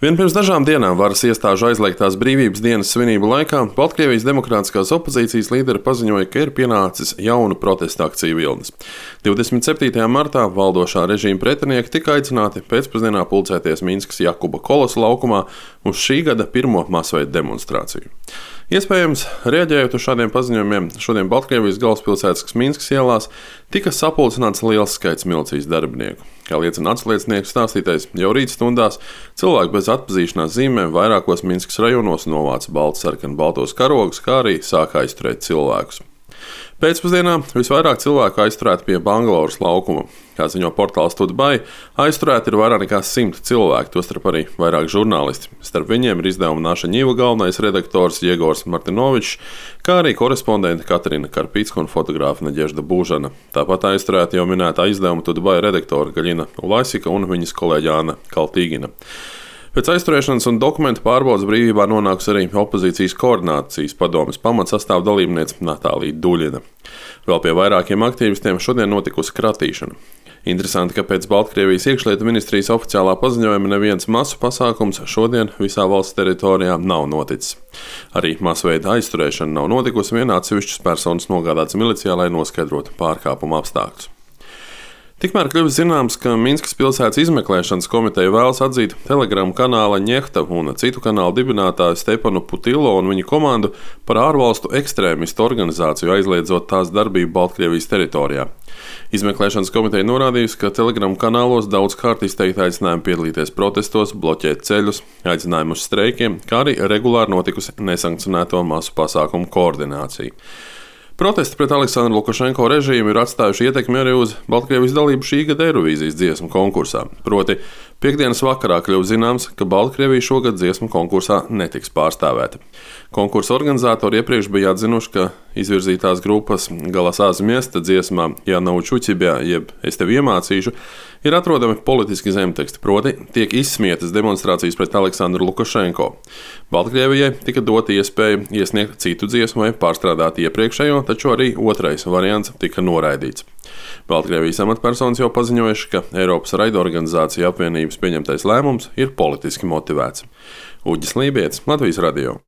Vien pirms dažām dienām varas iestāžu aizliegtās brīvības dienas svinību laikā Baltkrievijas demokrātiskās opozīcijas līderi paziņoja, ka ir pienācis jaunu protesta akciju vilnis. 27. martā valdošā režīma pretinieki tika aicināti pēcpusdienā pulcēties Minskas Jakuba Kolosa laukumā uz šī gada pirmo masveida demonstrāciju. Iespējams, reaģējot uz šādiem paziņojumiem, šodien Baltkrievijas galvaspilsētas Minskas ielās tika sapulcināts liels skaits milicijas darbinieku. Kā liecina atsliecnieku stāstītais, jau rīt stundās cilvēki bez atpazīšanās zīmēm vairākos Minskas rajonos novāca baltos karogus, kā arī sāka aizturēt cilvēkus. Pēcpusdienā visvairāk cilvēku aizturēti pie Bangaloras laukuma. Kā ziņo portāls Tudbai, aizturēti ir vairāk nekā 100 cilvēki, tostarp arī vairāk žurnālisti. Starp viņiem ir izdevuma Naša Ņiva galvenais redaktors Jegors Martinovičs, kā arī korespondente Katrina Karpicka un fotogrāfa Naģežda Būžana. Tāpat aizturēti jau minētā izdevuma Tudbai redaktora Gaļina Ulaisika un viņas kolēģe Āna Kaltīgina. Pēc aizturēšanas un dokumentu pārbaudes brīvībā nonākusi arī opozīcijas koordinācijas padomes pamatsastāv dalībniece Natālija Duļina. Vēl pie vairākiem aktīvistiem šodien notikusi kratīšana. Interesanti, ka pēc Baltkrievijas iekšlietu ministrijas oficiālā paziņojuma neviens masu pasākums šodien visā valsts teritorijā nav noticis. Arī masveida aizturēšana nav notikusi, vien atsevišķas personas nogādātas milicijā, lai noskaidrotu pārkāpumu apstākļus. Tikmēr kļuvis zināms, ka Minskas pilsētas izmeklēšanas komiteja vēlas atzīt Telegram kanāla Ņehta un citu kanālu dibinātāju Stepanu Putilo un viņa komandu par ārvalstu ekstrēmistu organizāciju, aizliedzot tās darbību Baltkrievijas teritorijā. Izmeklēšanas komiteja norādījusi, ka Telegram kanālos daudzkārt izteikti aicinājumi piedalīties protestos, bloķēt ceļus, aicinājumi uz streikiem, kā arī regulāri notikusi nesankcionēto masu pasākumu koordinācija. Protesti pret Aleksandra Lukašenko režīmu ir atstājuši ietekmi arī uz Baltkrievijas dalību šī gada Eirovīzijas dziesmu konkursā. Proti, piektdienas vakarā kļuva zināms, ka Baltkrievija šogad dziesmu konkursā netiks pārstāvēta. Konkursa organizatori iepriekš bija atzinuši, ka izvirzītās grupas Galasās miesta dziesmā Ja nauču tebja, jeb Es tevi iemācīšu, ir atrodami politiski zemteksti, proti tiek izsmietas demonstrācijas pret Aleksandru Lukašenko. Baltkrievijai tika dota iespēja iesniegt citu dziesmu vai pārstrādāt iepriekšējo, taču arī otrais variants tika noraidīts. Baltkrievijas amatpersonas jau paziņojuši, ka Eiropas raidorganizācija apvienības pieņemtais lēmums ir politiski motivēts. Uģis Lībietis, Latvijas radio.